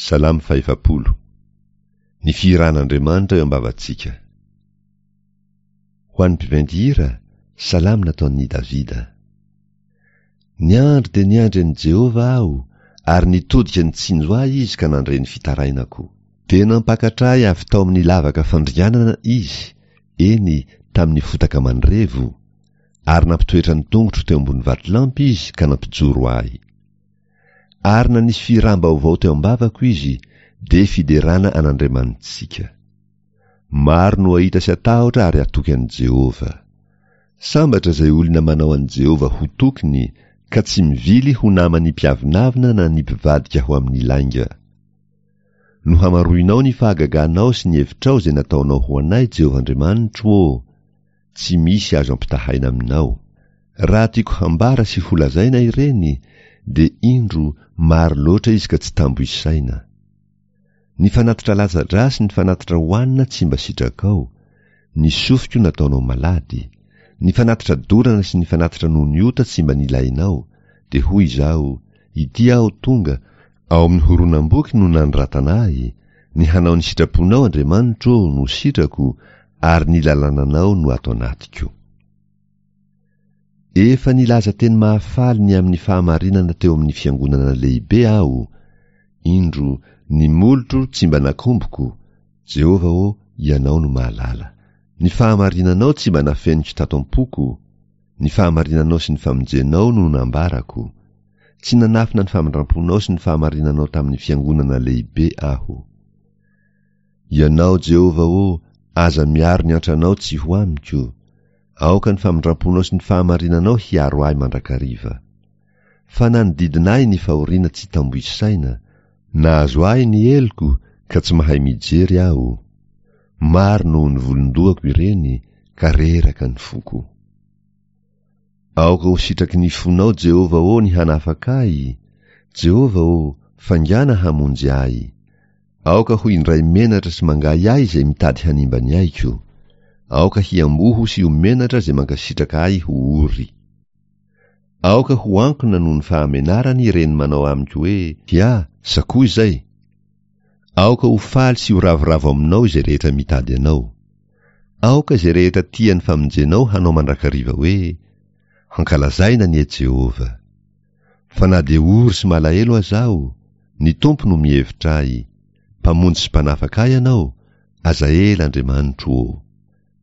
Salamo fahefapolo. Ny fihiran'Andriamanitra eo am-bavantsika. Ho an'ny mpiventy hira, salamo nataon'i Davida. Niandry dia niandry an'i Jehovah aho, ary nitodika nitsinjo ahy izy ka nandre ny fitarainako. Dia nampakatra ahy avy tao amin'ny lavaka fandringanana izy, eny, tamin'ny fotaka mandrevo, ary nampitoetra ny tongotro teo ambony vatolampy izy ka nampijoro ahy. Ary nanisy fihiram-baovao teo am-bavako izy, dia fiderana an'Andriamanitsika. Maro no hahita sy hatahotra ary hatoky an'i Jehovah. Sambatra izay olona manao an'i Jehovah ho tokiny, ka tsy mivily ho naman'ny mpiavonavona na ny mpivadika ho amin'ny lainga. Nohamaroinao ny fahagaganao sy ny hevitrao izay nataonao ho anay, Jehovah Andriamanitro ô! Tsy misy azo ampitahaina aminao. Raha tiako hambara sy holazaina ireny, dia indro, maro loatra izy ka tsy tambo isaina. Ny fanatitra latsa-drà sy ny fanatitra hohanina tsy mba sitrakao, ny sofiko nataonao malady, ny fanatitra dorana sy ny fanatitra noho ny ota tsy mba nilainao, dia hoy izaho, Ity aho tonga, ao amin'ny horonam-boky no nanoratana ahy, ny hanao ny sitraponao Andriamanitro ô no sitrako, ary ny lalànanao no ato anatiko. Efa nilaza teny mahafaly ny amin'ny fahamarinana teo amin'ny fiangonana lehibe aho, indro, ny molotro tsy mba nakomboko, Jehovah ô, Ianao no mahalala. Ny fahamarinanao tsy mba nafeniko tato am-poko, ny fahamarinanao sy ny famonjenao no nambarako. Tsy nanafina ny famindram-ponao sy ny fahamarinanao tamin'ny fiangonana lehibe aho. Ianao, Jehovah ô, aza miaro ny antranao tsy ho amiko. Aoka ny famindram-ponao sy ny fahamarinanao hiaro ahy mandrakariva. Fa nanodidina ahy ny fahoriana tsy tambo isaina, nahazo ahy ny heloko ka tsy mahay mijery aho. Maro noho ny volon-dohako ireny ka reraka ny foko. Aoka ho sitraky ny fonao, Jehovah ô, ny hanafaka ahy, Jehovah ô, faingàna hamonjy ahy. Aoka ho indray menatra sy mangahiahy izay mitady hanimba ny aiko. Aoka hiamboho sy ho menatra izay mankasitraka ahy ho ory. Aoka ho ankona noho ny fahamenarany ireny manao amiko hoe, Hia, sakoa izay! Aoka ho faly sy ho ravoravo aminao izay rehetra mitady anao. Aoka izay rehetra tia ny famonjenao hanao mandrakariva hoe, Hankalazaina anie Jehovah! Fa na dia ory sy malahelo aza aho, ny Tompo no mihevitra ahy. Mpamonjy sy Mpanafaka ahy Ianao, aza ela Andriamanitro ô!